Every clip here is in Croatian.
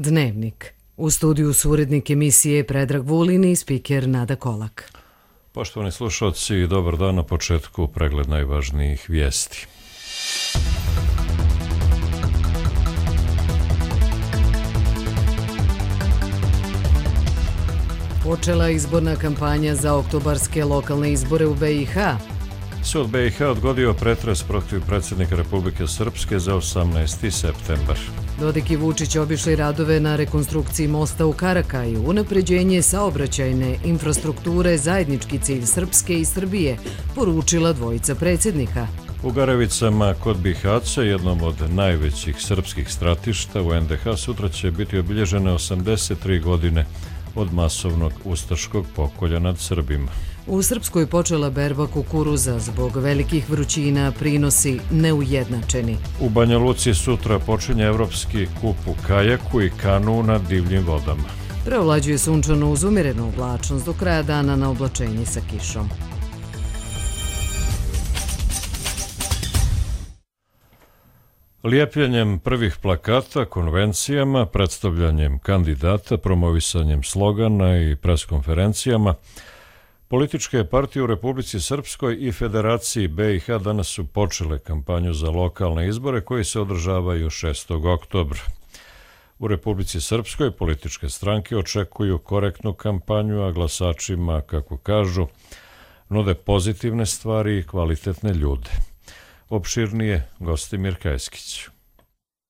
Dnevnik. U studiju su urednik emisije Predrag Vulin i spiker Nada Kolak. Poštovani slušalci, dobar dan. Na početku pregled najvažnijih vijesti. Počela izborna kampanja za oktobarske lokalne izbore u BiH. Sud BiH odgodio pretres protiv predsjednika Republike Srpske za 18. septembar. Dodik i Vučić obišli radove na rekonstrukciji mosta u Karakaju, unapređenje saobraćajne infrastrukture, zajednički cilj Srpske i Srbije, poručila dvojica predsjednika. U Garevicama kod Bihaća, jednom od najvećih srpskih stratišta u NDH, sutra će biti obilježene 83 godine od masovnog ustaškog pokolja nad Srbima. U Srpskoj počela berba kukuruza, zbog velikih vrućina prinosi neujednačeni. U Banja Luci sutra počinje evropski kup u kajaku i kanu na divljim vodama. Preovlađuje sunčano uz umjerenu oblačnost, do kraja dana na oblačenje sa kišom. Lijepljenjem prvih plakata, konvencijama, predstavljanjem kandidata, promovisanjem slogana i preskonferencijama, političke partije u Republici Srpskoj i Federaciji BiH danas su počele kampanju za lokalne izbore koji se održavaju 6. oktobra. U Republici Srpskoj političke stranke očekuju korektnu kampanju, a glasačima, kako kažu, nude pozitivne stvari i kvalitetne ljude. Opširnije Gostimir Kajskić.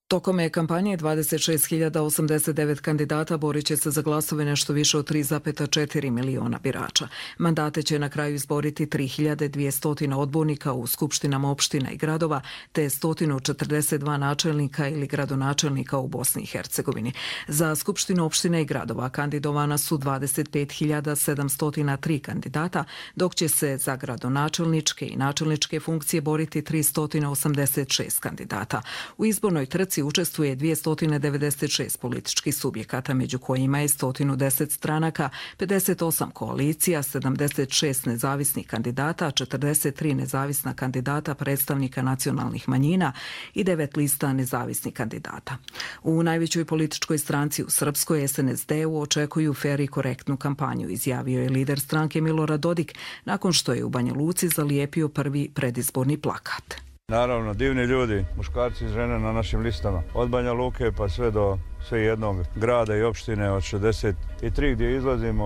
Tokom kampanje 26.089 kandidata borit će se za glasove nešto više od 3,4 miliona birača. Mandate će na kraju izboriti 3.200 odbornika u skupštinama opština i gradova, te 142 načelnika ili gradonačelnika u Bosni i Hercegovini. Za skupštinu opština i gradova kandidovana su 25.703 kandidata, dok će se za gradonačelničke i načelničke funkcije boriti 386 kandidata. U izbornoj trci učestvuje 296 političkih subjekata, među kojima je 110 stranaka, 58 koalicija, 76 nezavisnih kandidata, 43 nezavisna kandidata predstavnika nacionalnih manjina i 9 lista nezavisnih kandidata. U najvećoj političkoj stranci u Srpskoj, SNSD-u, očekuju fer i korektnu kampanju, izjavio je lider stranke Milorad Dodik nakon što je u Banja Luci zalijepio prvi predizborni plakat. Naravno, divni ljudi, muškarci i žene na našim listama. Od Banja Luke pa sve do jednog grada i opštine od 63 gdje izlazimo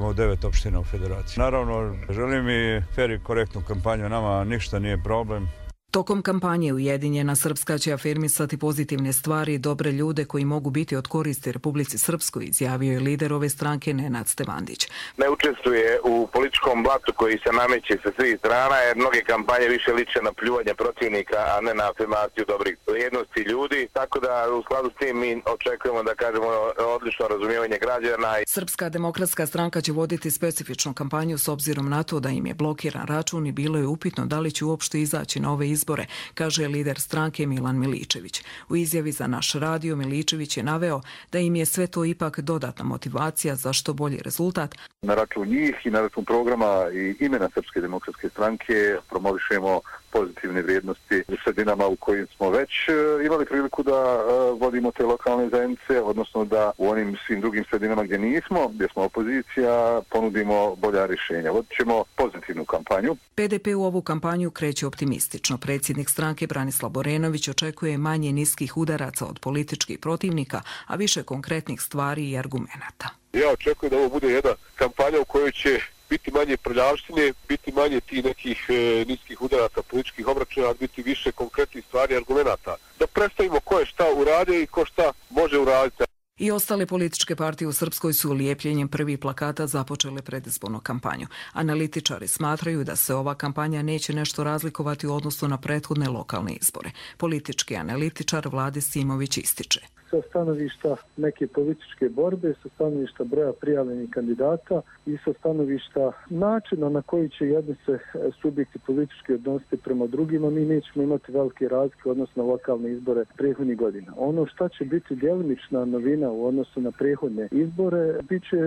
u 9 opština u Federaciji. Naravno, želim i fer i korektnu kampanju, nama ništa nije problem. Tokom kampanje Ujedinjena Srpska će afirmisati pozitivne stvari i dobre ljude koji mogu biti od koristi Republici Srpskoj, izjavio je lider ove stranke Nenad Stevandić. Ne učestvuje u političkom blatu koji se nameće sa svih strana, jer mnoge kampanje više liče na pljuvanje protivnika, a ne na afirmaciju dobrih vrijednosti ljudi. Tako da u skladu s tim mi očekujemo da kažemo odlično razumijevanje građana. Srpska demokratska stranka će voditi specifičnu kampanju s obzirom na to da im je blokiran račun i bilo je upitno da li će uopšte izaći na ove izbore, kaže lider stranke Milan Miličević. U izjavi za naš radio Miličević je naveo da im je sve to ipak dodatna motivacija za što bolji rezultat. Na račun njih i na račun programa i imena Srpske demokratske stranke promovišemo pozitivne vrijednosti u sredinama u kojim smo već imali priliku da vodimo te lokalne zajednice, odnosno da u onim svim drugim sredinama gdje nismo, gdje smo opozicija, ponudimo bolja rješenja. Vodit ćemo pozitivnu kampanju. PDP u ovu kampanju kreće optimistično. Predsjednik stranke Branislav Borenović očekuje manje niskih udaraca od političkih protivnika, a više konkretnih stvari i argumenata. Ja očekujem da ovo bude jedna kampanja u kojoj će biti manje prljavštine, biti manje tih nekih niskih udaraca političkih obračuna, a biti više konkretnih stvari i argumenata. Da predstavimo ko je šta uradio i ko šta može uraditi. I ostale političke partije u Srpskoj su lijepljenjem prvih plakata započele predizbornu kampanju. Analitičari smatraju da se ova kampanja neće nešto razlikovati u odnosu na prethodne lokalne izbore. Politički analitičar Vlade Simović ističe. Sa stanovišta neke političke borbe, sa stanovišta broja prijavljenih kandidata i sa stanovišta načina na koji će jedni se subjekti politički odnositi prema drugima, mi nećemo imati velike razlike odnosno na lokalne izbore prethodnih godina. Ono što će biti djelimična novina u odnosu na prethodne izbore, bit će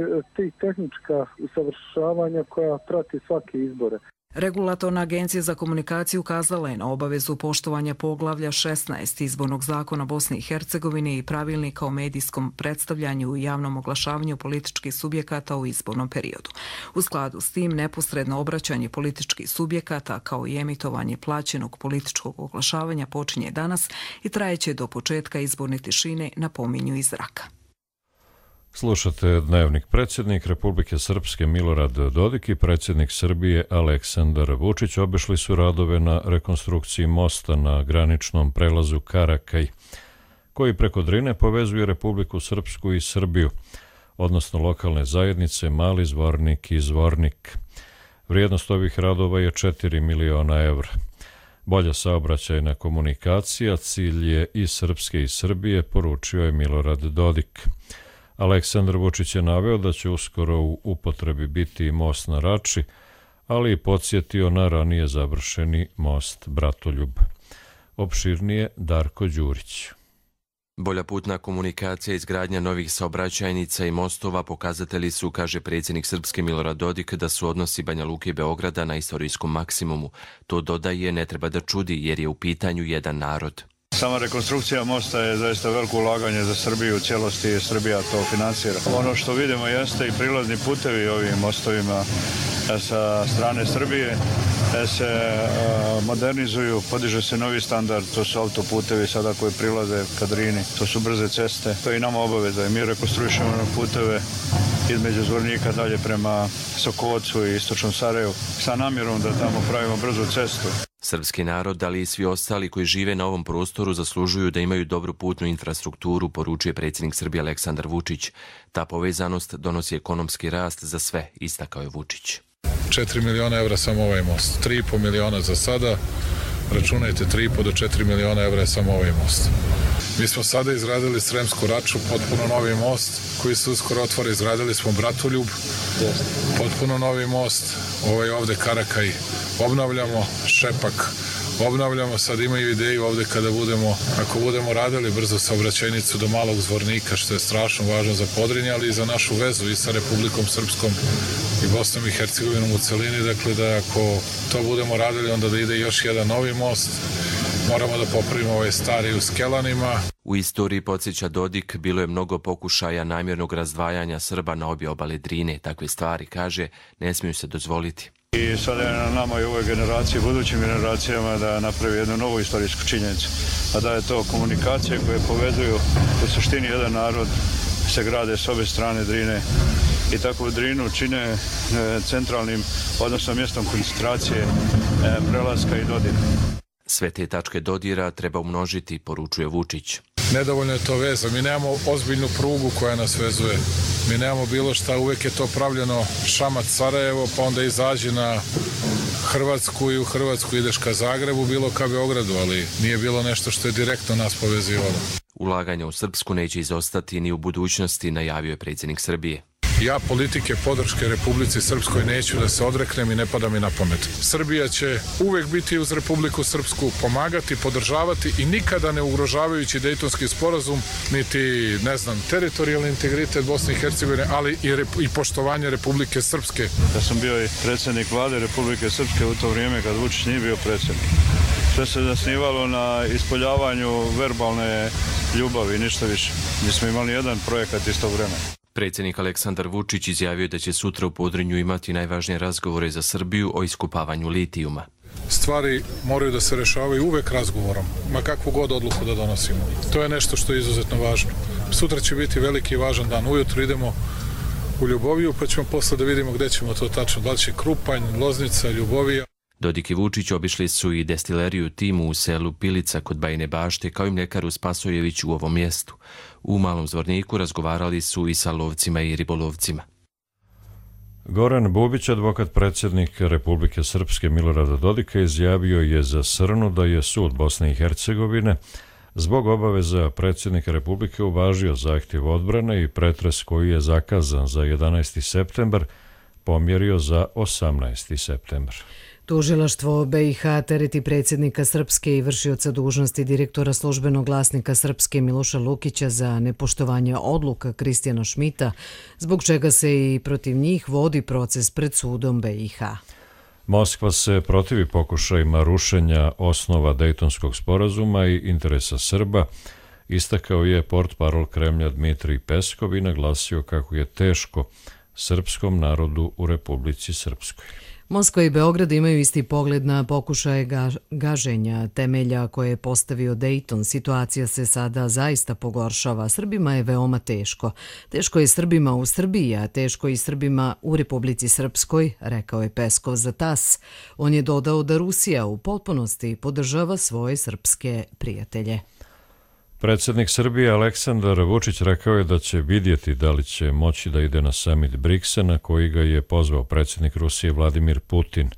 tehnička usavršavanja koja prati svake izbore. Regulatorna agencija za komunikaciju ukazala je na obavezu poštovanja poglavlja 16 izbornog zakona Bosne i Hercegovine i pravilnika o medijskom predstavljanju i javnom oglašavanju političkih subjekata u izbornom periodu. U skladu s tim, neposredno obraćanje političkih subjekata kao i emitovanje plaćenog političkog oglašavanja počinje danas i trajeće do početka izborne tišine, napominju iz zraka. Slušate dnevnik. Predsjednik Republike Srpske Milorad Dodik i predsjednik Srbije Aleksandar Vučić obišli su radove na rekonstrukciji mosta na graničnom prelazu Karakaj, koji preko Drine povezuje Republiku Srpsku i Srbiju, odnosno lokalne zajednice Mali Zvornik i Zvornik. Vrijednost ovih radova je 4 miliona evra. Bolja saobraćajna komunikacija cilj je i Srpske i Srbije, poručio je Milorad Dodik. Aleksandar Vučić je naveo da će uskoro u upotrebi biti most na Rači, ali i podsjetio na ranije završeni most Bratoljub. Opširnije Darko Đurić. Bolja putna komunikacija i izgradnja novih saobraćajnica i mostova pokazatelji su, kaže predsjednik Srpske Milorad Dodik, da su odnosi Banja Luke i Beograda na istorijskom maksimumu. To, dodaje, ne treba da čudi jer je u pitanju jedan narod. Sama rekonstrukcija mosta je zaista veliko ulaganje za Srbiju u cijelosti i Srbija to finansira. Ono što vidimo jeste i prilazni putevi ovim mostovima sa strane Srbije se modernizuju, podiže se novi standard, to su autoputevi sada koji prilaze ka Drini, to su brze ceste, to je i nama obaveza i mi rekonstruišemo puteve između Zvornika dalje prema Sokocu i istočnom Sarajevu sa namjerom da tamo pravimo brzu cestu. Srpski narod, ali i svi ostali koji žive na ovom prostoru zaslužuju da imaju dobru putnu infrastrukturu, poručuje predsjednik Srbije Aleksandar Vučić. Ta povezanost donosi ekonomski rast za sve, istakao je Vučić. 4 miliona evra samo ovaj most, 3,5 miliona za sada, računajte 3,5 do 4 miliona evra je samo ovaj most. Mi smo sada izradili Sremsku Raču, potpuno novi most koji se uskoro otvara, izradili smo Bratoljub, potpuno novi most, ovaj ovde Karakaj obnavljamo, Šepak obnavljamo, sad imaju ideju ovde kada ako budemo radili brzo saobraćajnicu do Malog Zvornika, što je strašno važno za Podrinje, ali i za našu vezu i sa Republikom Srpskom i Bosnom i Hercegovinom u celini, dakle da ako to budemo radili, onda da ide još jedan novi most, moramo da popravimo ovaj stari u Skelanima. U istoriji, podsjeća Dodik, bilo je mnogo pokušaja namjernog razdvajanja Srba na obje obale Drine. Takve stvari, kaže, ne smiju se dozvoliti. I sada je na nama i ovoj generaciji, budućim generacijama da napravi jednu novu istorijsku činjenicu, a da je to komunikacije koje povezuju u suštini jedan narod, se grade s obe strane Drine i tako Drinu čine centralnim, odnosno mjestom koncentracije prelaska i dodira. Sve te tačke dodira treba umnožiti, poručuje Vučić. Nedovoljno je to veza, mi nemamo ozbiljnu prugu koja nas vezuje, mi nemamo bilo šta, uvek je to pravljeno Šamac-Sarajevo, pa onda izađi na Hrvatsku i u Hrvatsku ideš ka Zagrebu, bilo ka Beogradu, ali nije bilo nešto što je direktno nas povezivalo. Ulaganja u Srpsku neće izostati ni u budućnosti, najavio je predsjednik Srbije. Ja politike podrške Republici Srpskoj neću da se odreknem i ne pada mi na pamet. Srbija će uvek biti uz Republiku Srpsku, pomagati, podržavati i nikada ne ugrožavajući Dejtonski sporazum, niti, teritorijalni integritet Bosne i Hercegovine, ali i poštovanje Republike Srpske. Ja sam bio i predsjednik vlade Republike Srpske u to vrijeme kad Vučić nije bio predsjednik. Sve se zasnivalo na ispoljavanju verbalne ljubavi, ništa više. Nismo imali jedan projekat iz tog vremena. Predsjednik Aleksandar Vučić izjavio da će sutra u Podrinju imati najvažnije razgovore za Srbiju o iskopavanju litijuma. Stvari moraju da se rešavaju uvek razgovorom, ma kakvu god odluku da donosimo. To je nešto što je izuzetno važno. Sutra će biti veliki i važan dan. Ujutro idemo u Ljuboviju, pa ćemo posle da vidimo gde ćemo to tačno. Da li će Krupanj, Loznica, Ljubovija. Dodik i Vučić obišli su i destileriju Timu u selu Pilica kod Bajine Bašte, kao i mljekaru Spasojević u ovom mjestu. U Malom Zvorniku razgovarali su i sa lovcima i ribolovcima. Goran Bubić, advokat predsjednika Republike Srpske Milorada Dodika, izjavio je za Srnu da je sud Bosne i Hercegovine zbog obaveza predsjednika Republike uvažio zahtjev odbrane i pretres koji je zakazan za 11. septembar pomjerio za 18. septembar. Tužilaštvo BiH tereti predsjednika Srpske i vršioca dužnosti direktora službenog glasnika Srpske Miloša Lukića za nepoštovanje odluka Kristijana Šmita, zbog čega se i protiv njih vodi proces pred sudom BiH. Moskva se protivi pokušajima rušenja osnova Dejtonskog sporazuma i interesa Srba, istakao je portparol Kremlja Dmitrij Peskov i naglasio kako je teško srpskom narodu u Republici Srpskoj. Moskva i Beograd imaju isti pogled na pokušaje gaženja temelja koje je postavio Dejton. Situacija se sada zaista pogoršava. Srbima je veoma teško. Teško je Srbima u Srbiji, a teško i Srbima u Republici Srpskoj, rekao je Peskov za TAS. On je dodao da Rusija u potpunosti podržava svoje srpske prijatelje. Predsjednik Srbije Aleksandar Vučić rekao je da će vidjeti da li će moći da ide na samit BRICS-a na koji ga je pozvao predsjednik Rusije Vladimir Putin,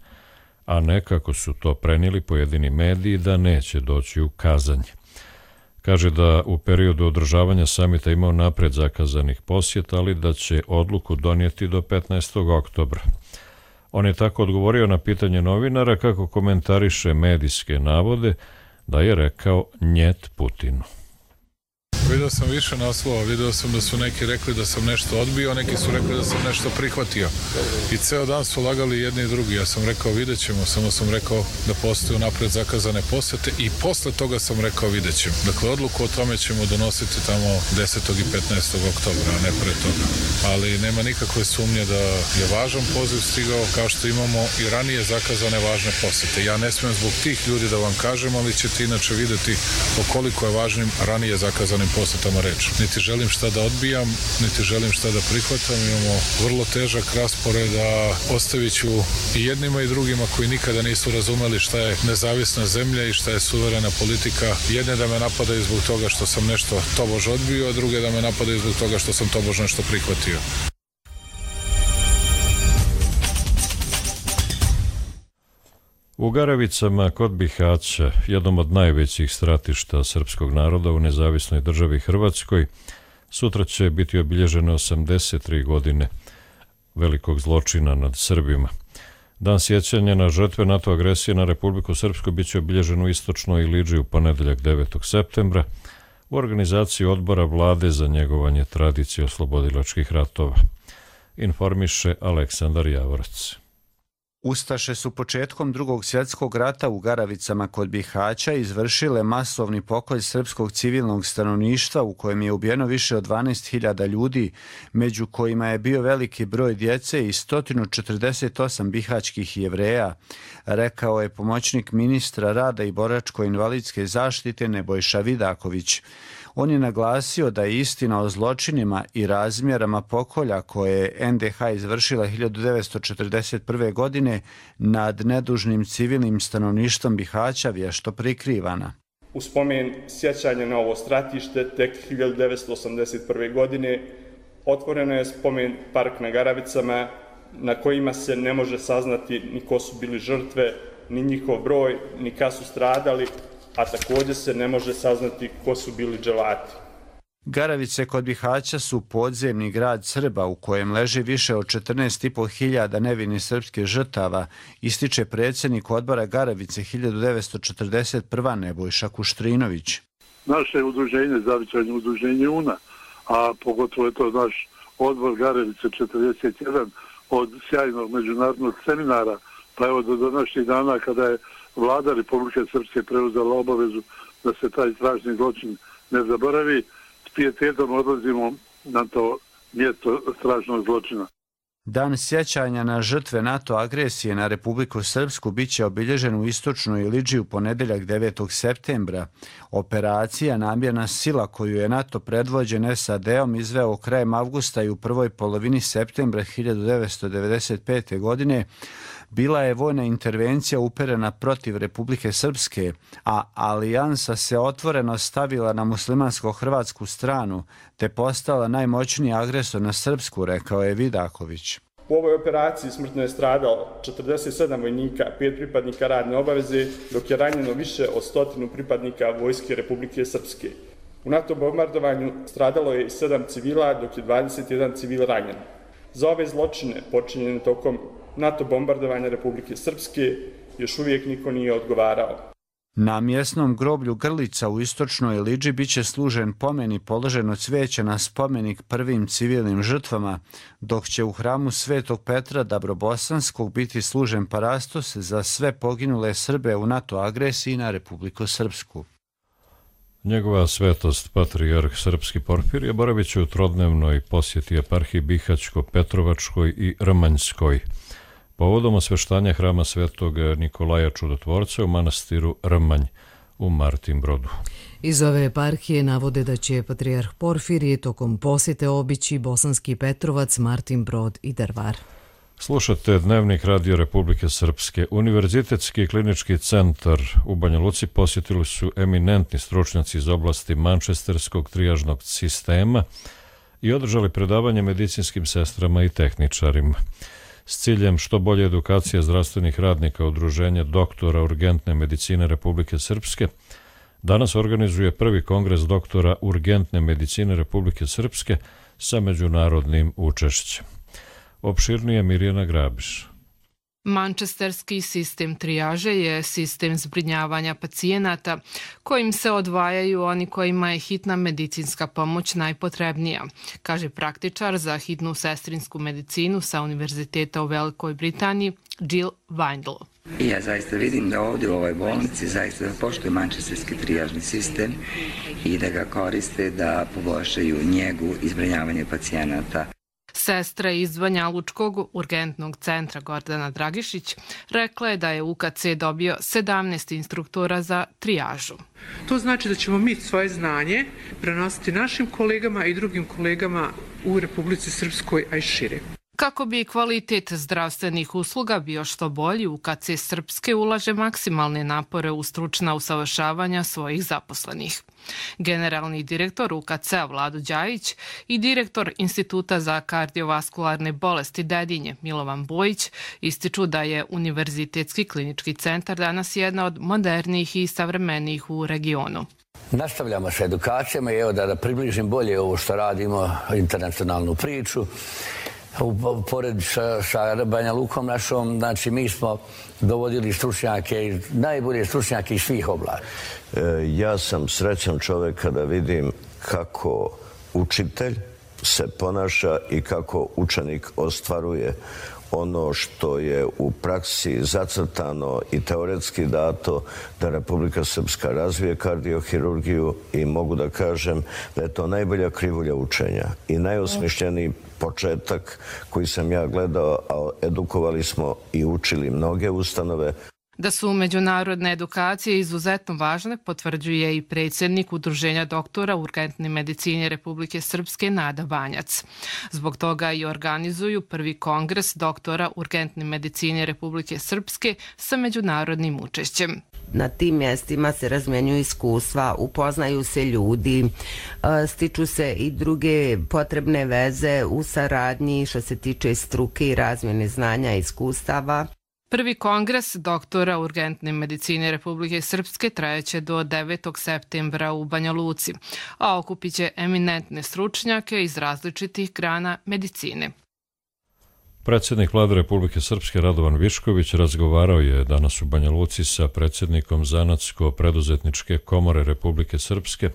a ne kako su to prenijeli pojedini mediji da neće doći u Kazanj. Kaže da u periodu održavanja samita imao napred zakazanih posjeta, ali da će odluku donijeti do 15. oktobra. On je tako odgovorio na pitanje novinara kako komentariše medijske navode da je rekao njet Putinu. Vidio sam više naslova, vidio sam da su neki rekli da sam nešto odbio, neki su rekli da sam nešto prihvatio. I ceo dan su lagali jedni i drugi. Ja sam rekao vidjet ćemo, samo sam rekao da postoje napred zakazane posete i posle toga sam rekao vidjet ćemo. Dakle, odluku o tome ćemo donositi tamo 10. i 15. oktobra, a ne pre toga. Ali nema nikakve sumnje da je važan poziv stigao, kao što imamo i ranije zakazane važne posete. Ja ne smijem zbog tih ljudi da vam kažem, ali ćete inače vidjeti o koliko je važnim ranije zakazanim posetama reč. Niti želim šta da odbijam, niti želim šta da prihvatam. Imamo vrlo težak raspored, a ostavit ću i jednima i drugima koji nikada nisu razumeli šta je nezavisna zemlja i šta je suverena politika. Jedne da me napadaju zbog toga što sam nešto tobož odbio, a druge da me napadaju zbog toga što sam tobož nešto prihvatio. U Garavicama kod Bihaća, jednom od najvećih stratišta srpskog naroda u nezavisnoj državi Hrvatskoj, sutra će biti obilježene 83 godine velikog zločina nad Srbima. Dan sjećanja na žrtve NATO agresije na Republiku Srpsku bit će obilježen u Istočnoj Iliđi u ponedeljak 9. septembra u organizaciji odbora vlade za njegovanje tradicije oslobodilačkih ratova. Informiše Aleksandar Javorac. Ustaše su početkom Drugog svjetskog rata u Garavicama kod Bihaća izvršile masovni pokolj srpskog civilnog stanovništva u kojem je ubijeno više od 12.000 ljudi, među kojima je bio veliki broj djece i 148 bihaćkih Jevreja, rekao je pomoćnik ministra rada i boračko-invalidske zaštite Nebojša Vidaković. On je naglasio da je istina o zločinima i razmjerama pokolja koje je NDH izvršila 1941. godine nad nedužnim civilnim stanovništvom Bihaća vješto prikrivana. U spomen sjećanja na ovo stratište tek 1981. godine otvoreno je spomen park na Garavicama na kojima se ne može saznati ni ko su bili žrtve, ni njihov broj, ni kad su stradali, a također se ne može saznati ko su bili dželati. Garavice kod Bihaća su podzemni grad Srba u kojem leži više od 14.500 nevinih srpskih žrtava, ističe predsjednik odbora Garavice 1941. Nebojša Kuštrinović. Naše udruženje, zavičajno udruženje UNA, a pogotovo je to naš odbor Garavice 41 od sjajnog međunarodnog seminara, pa evo do današnjih dana kada je Vlada Republike Srpske preuzela obavezu da se taj strašni zločin ne zaboravi, s pijetetom odlazimo na to mjesto strašnog zločina. Dan sjećanja na žrtve NATO agresije na Republiku Srpsku bit će obilježen u Istočnoj Iliđi u ponedeljak 9. septembra. Operacija Namjerna sila koju je NATO predvođen SAD-om izveo krajem avgusta i u prvoj polovini septembra 1995. godine bila je vojna intervencija uperena protiv Republike Srpske, a alijansa se otvoreno stavila na muslimansko-hrvatsku stranu te postala najmoćniji agresor na Srpsku, rekao je Vidaković. U ovoj operaciji smrtno je stradalo 47 vojnika, 5 pripadnika radne obaveze, dok je ranjeno više od 100 pripadnika Vojske Republike Srpske. U NATO bombardovanju stradalo je i 7 civila, dok je 21 civil ranjen. Za ove zločine počinjene tokom NATO bombardovanja Republike Srpske još uvijek niko nije odgovarao. Na mjesnom groblju Grlica u istočnoj Liđi biće služen pomen i položeno cvijeće na spomenik prvim civilnim žrtvama, dok će u hramu Svetog Petra Dabrobosanskog biti služen parastos za sve poginule Srbe u NATO agresiji na Republiku Srpsku. Njegova svetost, patrijarh srpski Porfirije, boravit će u trodnevnoj posjeti eparhiji Bihaćko-Petrovačkoj i Rmanjskoj, povodom osveštanja hrama Svetog Nikolaja Čudotvorca u manastiru Rmanj u Martinbrodu. Iz ove eparhije navode da će patrijarh Porfirije tokom posjete obići Bosanski Petrovac, Martinbrod i Drvar. Slušate Dnevnik Radio Republike Srpske. Univerzitetski klinički centar u Banja Luci posjetili su eminentni stručnjaci iz oblasti mančesterskog trijažnog sistema i održali predavanje medicinskim sestrama i tehničarima. S ciljem što bolje edukacije zdravstvenih radnika Udruženja doktora urgentne medicine Republike Srpske, danas organizuje prvi kongres doktora urgentne medicine Republike Srpske sa međunarodnim učešćem. Opširnije Mirjana Grabiš. Mančesterski sistem trijaže je sistem zbrinjavanja pacijenata kojim se odvajaju oni kojima je hitna medicinska pomoć najpotrebnija, kaže praktičar za hitnu sestrinsku medicinu sa Univerziteta u Velikoj Britaniji Jill Windle. Ja zaista vidim da ovdje u ovoj bolnici zaista poštuju mančesterski trijažni sistem i da ga koriste da poboljšaju njegu i zbrinjavanje pacijenata. Sestra iz Banja Lučkog urgentnog centra Gordana Dragišić rekla je da je UKC dobio 17 instruktora za trijažu. To znači da ćemo mi svoje znanje prenositi našim kolegama i drugim kolegama u Republici Srpskoj, a i šire. Kako bi kvalitet zdravstvenih usluga bio što bolji, UKC Srpske ulaže maksimalne napore u stručna usavršavanja svojih zaposlenih. Generalni direktor UKC-a Vlado Đajić i direktor Instituta za kardiovaskularne bolesti Dedinje Milovan Bojić ističu da je Univerzitetski klinički centar danas jedna od modernijih i savremenijih u regionu. Nastavljamo sa edukacijama i evo da približim bolje ovo što radimo, internacionalnu priču. Pored sa Banja Lukom našom, znači mi smo dovodili stručnjake, najbolje stručnjake iz svih oblasti. Ja sam srećan čovjek kada vidim kako učitelj se ponaša i kako učenik ostvaruje ono što je u praksi zacrtano i teoretski dato da Republika Srpska razvije kardiohirurgiju i mogu da kažem da je to najbolja krivulja učenja i najosmišljeniji početak koji sam ja gledao, a edukovali smo i učili mnoge ustanove. Da su međunarodne edukacije izuzetno važne, potvrđuje i predsjednik Udruženja doktora urgentne medicine Republike Srpske Nada Banjac. Zbog toga i organizuju prvi kongres doktora urgentne medicine Republike Srpske sa međunarodnim učešćem. Na tim mjestima se razmjenjuju iskustva, upoznaju se ljudi, stiču se i druge potrebne veze u saradnji što se tiče struke i razmjene znanja i iskustava. Prvi kongres doktora urgentne medicine Republike Srpske trajeće do 9. septembra u Banja Luci, a okupit će eminentne stručnjake iz različitih grana medicine. Predsjednik Vlade Republike Srpske Radovan Višković razgovarao je danas u Banja Luci sa predsjednikom Zanatsko-preduzetničke komore Republike Srpske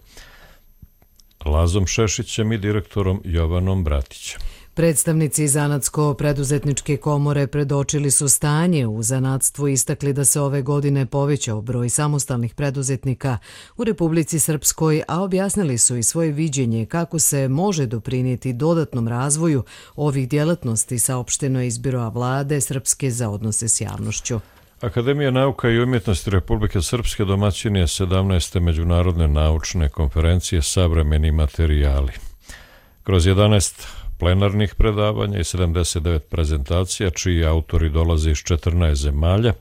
Lazom Šešićem i direktorom Jovanom Bratićem. Predstavnici Zanatsko-preduzetničke komore predočili su stanje u zanatstvu i istakli da se ove godine povećao broj samostalnih preduzetnika u Republici Srpskoj, a objasnili su i svoje viđenje kako se može doprinijeti dodatnom razvoju ovih djelatnosti, saopšteno je iz Biroa Vlade Srpske za odnose s javnošću. Akademija nauka i umjetnosti Republike Srpske domaćin je 17. međunarodne naučne konferencije Savremeni materijali. Kroz 11 plenarnih predavanja i 79 prezentacija, čiji autori dolaze iz 14 zemalja,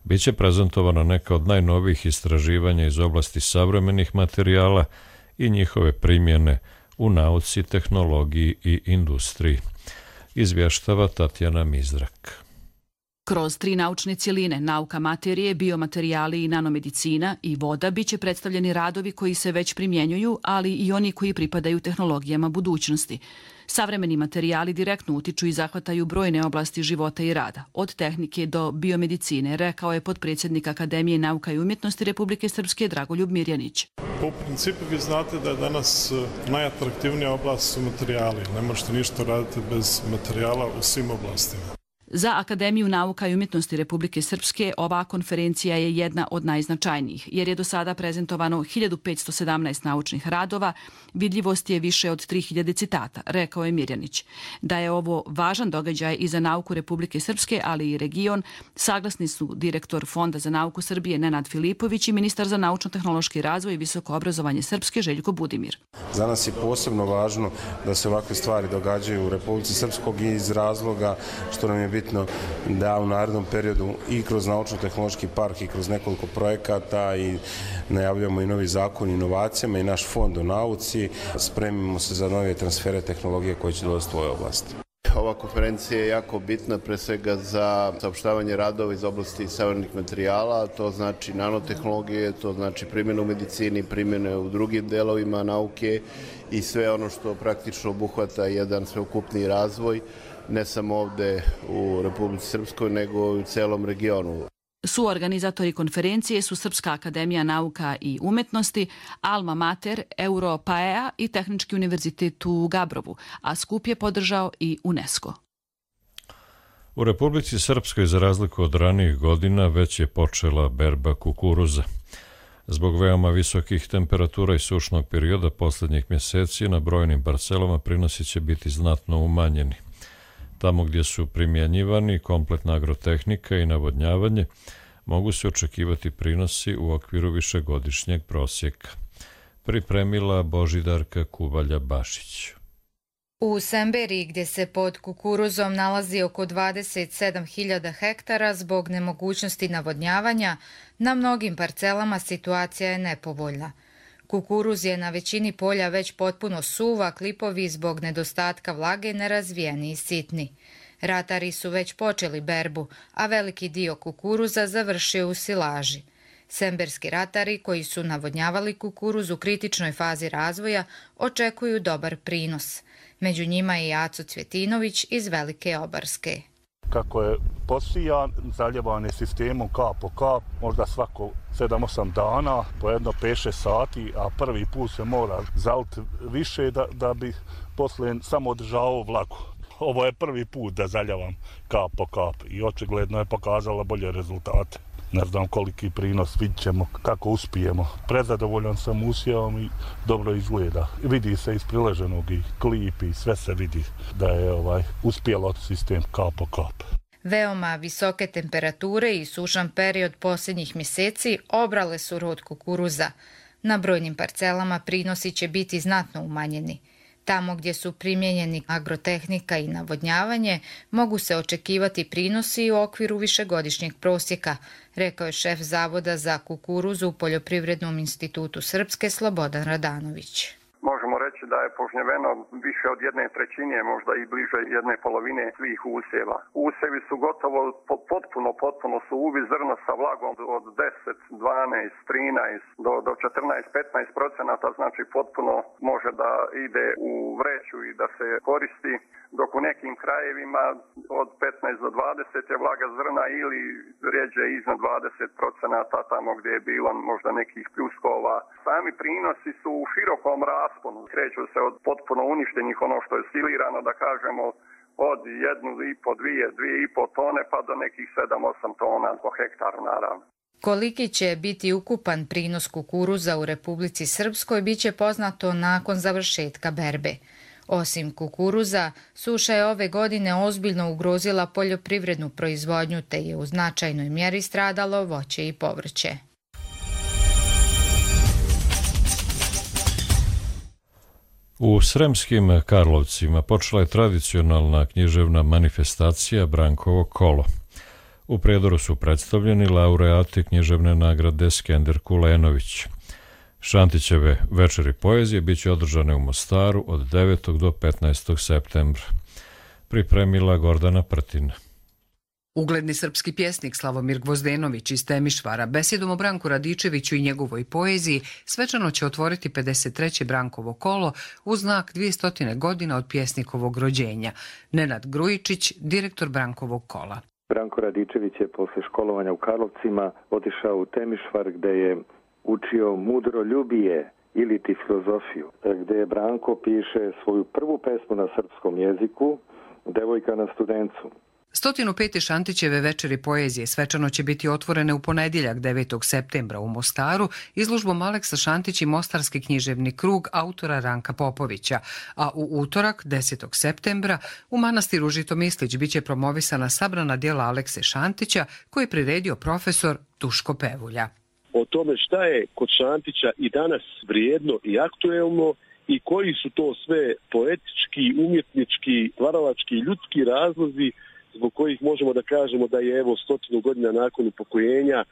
bit će prezentovana neka od najnovijih istraživanja iz oblasti savremenih materijala i njihove primjene u nauci, tehnologiji i industriji. Izvještava Tatjana Mizrak. Kroz 3 naučne cjeline, nauka materije, biomaterijali i nanomedicina i voda, biće predstavljeni radovi koji se već primjenjuju, ali i oni koji pripadaju tehnologijama budućnosti. Savremeni materijali direktno utiču i zahvataju brojne oblasti života i rada, od tehnike do biomedicine, rekao je potpredsjednik Akademije nauka i umjetnosti Republike Srpske Dragoljub Mirjanić. U principu vi znate da je danas najatraktivnija oblast su materijali. Ne možete ništa raditi bez materijala u svim oblastima. Za Akademiju nauka i umjetnosti Republike Srpske ova konferencija je jedna od najznačajnijih, jer je do sada prezentovano 1517 naučnih radova, vidljivost je više od 3000 citata, rekao je Mirjanić. Da je ovo važan događaj i za nauku Republike Srpske, ali i region, saglasni su direktor Fonda za nauku Srbije Nenad Filipović i ministar za naučno-tehnološki razvoj i visoko obrazovanje Srpske Željko Budimir. Za nas je posebno važno da se ovakve stvari događaju u Republici Srpskog iz razloga što nam je bitno da u narednom periodu i kroz naučno-tehnološki park i kroz nekoliko projekata i najavljamo i novi zakon o inovacijama i naš fond o nauci, spremimo se za nove transfere tehnologije koje će dolaziti u ovoj oblasti. Ova konferencija je jako bitna pre svega za saopštavanje radova iz oblasti savremenih materijala, to znači nanotehnologije, to znači primjenu u medicini, primjene u drugim delovima nauke i sve ono što praktično obuhvata jedan sveukupni razvoj, ne samo ovde u Republici Srpskoj, nego i u celom regionu. Suorganizatori konferencije su Srpska akademija nauka i umetnosti, Alma Mater, Europaea i Tehnički univerzitet u Gabrovu, a skup je podržao i UNESCO. U Republici Srpskoj, za razliku od ranijih godina, već je počela berba kukuruza. Zbog veoma visokih temperatura i sušnog perioda posljednjih mjeseci na brojnim parcelama prinosi će biti znatno umanjeni. Tamo gdje su primjenjivani kompletna agrotehnika i navodnjavanje, mogu se očekivati prinosi u okviru višegodišnjeg prosjeka. Pripremila Božidarka Kubalja-Bašić. U Semberiji, gdje se pod kukuruzom nalazi oko 27.000 hektara zbog nemogućnosti navodnjavanja, na mnogim parcelama situacija je nepovoljna. Kukuruz je na većini polja već potpuno suva, klipovi zbog nedostatka vlage nerazvijeni i sitni. Ratari su već počeli berbu, a veliki dio kukuruza završio u silaži. Semberski ratari, koji su navodnjavali kukuruz u kritičnoj fazi razvoja, očekuju dobar prinos. Među njima je i Aco Cvjetinović iz Velike Obarske. Kako je posijan, zaljevan je sistemom kap po kap, možda svako 7-8 dana, po jedno 5-6 sati, a prvi put se mora zaliti više da bi poslije samo održavao vlagu. Ovo je prvi put da zaljavam kap po kap i očigledno je pokazala bolje rezultate. Ne znam koliki prinos, vidit ćemo kako uspijemo. Prezadovoljan sam usjevom i dobro izgleda. Vidi se iz prileženog i klip i sve se vidi da je uspjelo sistem kap po kap. Veoma visoke temperature i sušan period posljednjih mjeseci obrale su rod kukuruza. Na brojnim parcelama prinosi će biti znatno umanjeni. Tamo gdje su primijenjeni agrotehnika i navodnjavanje, mogu se očekivati prinosi u okviru višegodišnjeg prosjeka, rekao je šef Zavoda za kukuruzu u Poljoprivrednom institutu Srpske Slobodan Radanović. Možemo reći da je požnjeveno više od 1/3, možda i bliže 1/2 svih usjeva. Usjevi su gotovo potpuno suvi, zrno sa vlagom od 10, 12, 13 do 14-15%, znači potpuno može da ide u vreću i da se koristi, dok u nekim krajevima od 15 do 20 je vlaga zrna ili rijeđe iznad 20%, tamo gdje je bilo možda nekih pljuskova. Sami prinosi su u širokom rasponu, kreću se od potpuno uništenih, ono što je silirano, da kažemo, od 1,5, 2,5 tone pa do nekih 7-8 tona po hektaru naravno. Koliki će biti ukupan prinos kukuruza u Republici Srpskoj bit će poznato nakon završetka berbe. Osim kukuruza, suša je ove godine ozbiljno ugrozila poljoprivrednu proizvodnju te je u značajnoj mjeri stradalo voće i povrće. U Sremskim Karlovcima počela je tradicionalna književna manifestacija Brankovo kolo. U Prijedoru su predstavljeni laureati književne nagrade Skender Kulenović. Šantićeve večeri poezije bit će održane u Mostaru od 9. do 15. septembra. Pripremila Gordana Prtina. Ugledni srpski pjesnik Slavomir Gvozdenović iz Temišvara besedom o Branku Radičeviću i njegovoj poeziji svečano će otvoriti 53. Brankovo kolo u znak 200 godina od pjesnikovog rođenja. Nenad Grujičić, direktor Brankovog kola. Branko Radičević je posle školovanja u Karlovcima otišao u Temišvar gde je učio mudroljubije ili ti filozofiju, gde je Branko piše svoju prvu pesmu na srpskom jeziku, Devojka na Studencu. 105. Šantićeve večeri poezije svečano će biti otvorene u ponedjeljak 9. septembra u Mostaru izložbom Aleksa Šantić i Mostarski književni krug autora Ranka Popovića, a u utorak 10. septembra u manastiru Žitomislić biće promovisana sabrana djela Alekse Šantića koje je priredio profesor Duško Pevulja. O tome šta je kod Šantića i danas vrijedno i aktuelno i koji su to sve poetički, umjetnički, stvaralački i ljudski razlozi zbog kojih možemo da kažemo da je 100 godina nakon upokojenja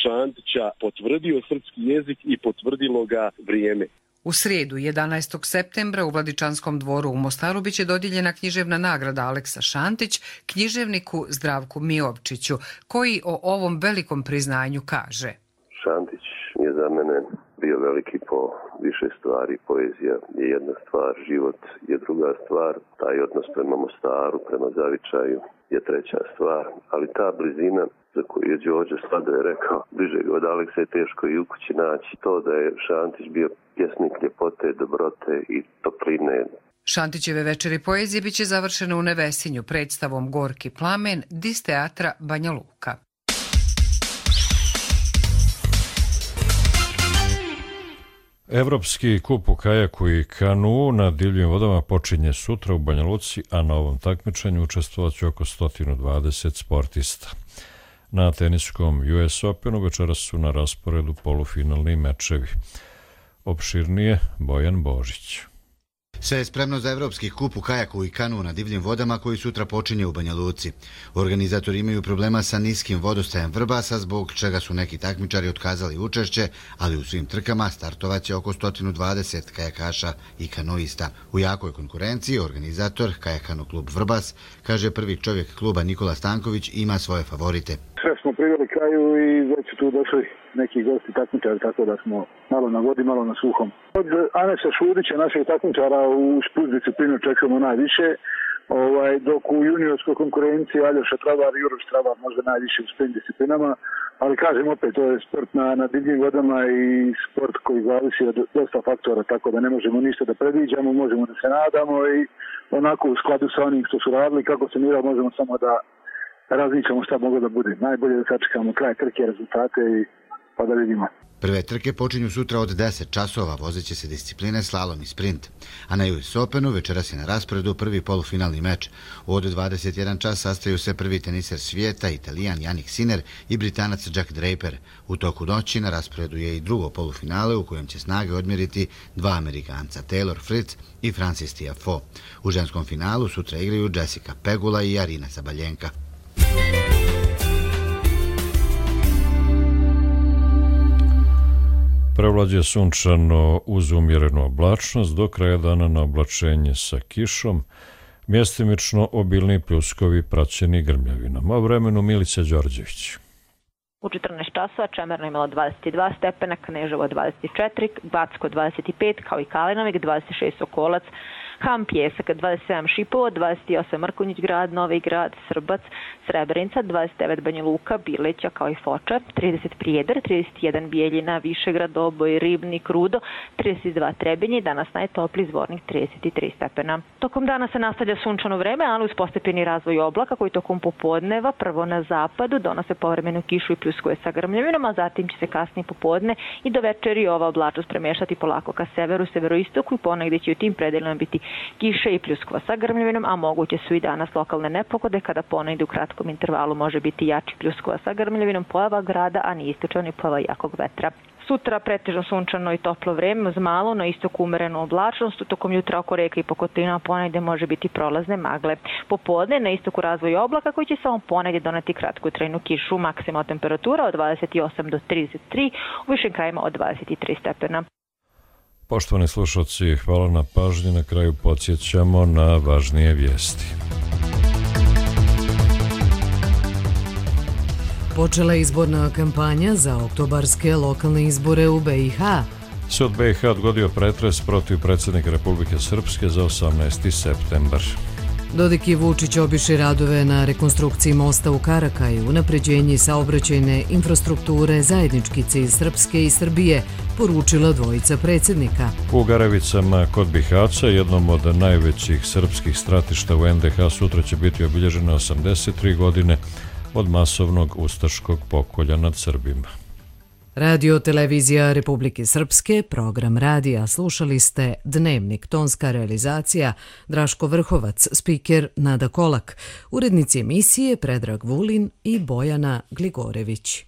Šantića potvrdio srpski jezik i potvrdilo ga vrijeme. U srijedu 11. septembra u Vladičanskom dvoru u Mostaru biće dodijeljena književna nagrada Aleksa Šantić književniku Zdravku Miovčiću, koji o ovom velikom priznanju kaže. Šantić je za mene bio veliki po više stvari. Poezija je jedna stvar, život je druga stvar, taj odnos prema Mostaru, prema Zavičaju je treća stvar, ali ta blizina za koju je Đorđe Slado je rekao, bliže od Aleksa je teško i u kući naći, to da je Šantić bio pjesnik ljepote, dobrote i topline. Šantićeve večeri poezije biće završene u Nevesinju predstavom Gorki plamen dis teatra Banja Luka. Evropski kup u kajaku i kanu na divljim vodama počinje sutra u Banja Luci, a na ovom takmičenju učestvovat će oko 120 sportista. Na teniskom US Openu večeras su na rasporedu polufinalni mečevi. Opširnije Bojan Božić. Sve je spremno za Evropski kup u kajaku i kanu na divljim vodama koji sutra počinje u Banja Luci. Organizatori imaju problema sa niskim vodostajem Vrbasa, zbog čega su neki takmičari otkazali učešće, ali u svim trkama startovaće oko 120 kajakaša i kanoista. U jakoj konkurenciji organizator Kajakano klub Vrbas, kaže prvi čovjek kluba Nikola Stanković, ima svoje favorite. Sve smo priveli kraju i već su tu došli neki gosti takmičari, tako da smo malo na vodi, malo na suhom. Od Anesa Šudića, našeg takmičara u spust disciplinu, čekamo najviše, dok u juniorskoj konkurenciji Aljoša Travar i Uroš Travar možda najviše u sprint disciplinama, ali kažem opet, to je sport na divljim vodama i sport koji zavisi od dosta faktora, tako da ne možemo ništa da predviđamo, možemo da se nadamo i onako u skladu sa onim što su radili, kako se mira, možemo samo da razmišljamo šta mogu da bude. Najbolje da sačekamo kraj trke, rezultate i pa da vidimo. Prve trke počinju sutra od 10 časova, vozeće se discipline slalom i sprint. A na US Openu večeras je na rasporedu prvi polufinalni meč. Od 21 čas sastaju se prvi teniser svijeta, Italijan Jannik Sinner i Britanac Jack Draper. U toku noći na rasporedu je i drugo polufinale u kojem će snage odmjeriti dva Amerikanca, Taylor Fritz i Francis Tiafoe. U ženskom finalu sutra igraju Jessica Pegula i Arina Zabaljenka. Prevlađe sunčano uz umjerenu oblačnost, do kraja dana na oblačenje sa kišom, mjestimično obilni pljuskovi praćeni grmljavinama. O vremenu Milica Đorđević. U 14 časova Čemerna imala 22 stepena, Kneževo 24, Backo 25, kao i Kalinovik 26 Sokolac, Ham Pjesak 27 Šipovo, 28 Mrkonjić grad, Novi grad, Srbac, Srebrenica, 29 Banja Luka, Bileća kao i Foča, 30 Prijedar, 31 Bijeljina, Višegrad, Oboj, Ribnik, Rudo, 32 Trebinje, danas najtopliji Zvornik 33 stepena. Tokom dana se nastavlja sunčano vreme, ali uz postepeni razvoj oblaka koji tokom popodneva prvo na zapadu donose povremenu kišu i pljuskuje sa grmljavinom, a zatim će se kasnije popodne i do večeri ova oblačnost premješati polako ka severu, severoistoku i ponegdje će u tim predelima biti kiše i pljuskova sa grmljavinom, a moguće su i danas lokalne nepogode kada ponegdje u kratkom intervalu može biti jači pljuskova sa grmljavinom, pojava grada, a ni istočan i pojava jakog vetra. Sutra pretežno sunčano i toplo vreme uz malo na istoku umerenu oblačnost, tokom jutra oko reka i Pokotina ponegdje može biti prolazne magle. Popodne na istoku razvoj oblaka koji će samo ponegdje doneti kratku trajnu kišu, maksimalna temperatura od 28 do 33, u višim krajima od 23 stepena. Poštovani slušalci, hvala na pažnji. Na kraju podsjećamo na važnije vijesti. Počela je izborna kampanja za oktobarske lokalne izbore u BiH. Sud BiH odgodio pretres protiv predsjednika Republike Srpske za 18. septembar. Dodik i Vučić obišli radove na rekonstrukciji mosta u Karakaju, unapređenje saobraćajne infrastrukture, zajednički cilj Srpske i Srbije, poručila dvojica predsjednika. U Garevicama kod Bihaća, jednom od najvećih srpskih stratišta u NDH, sutra će biti obilježene 83 godine od masovnog ustaškog pokolja nad Srbima. Radio Televizija Republike Srpske, program radija. Slušali ste Dnevnik, tonska realizacija Draško Vrhovac, spiker Nada Kolak, urednici emisije Predrag Vulin i Bojana Gligorević.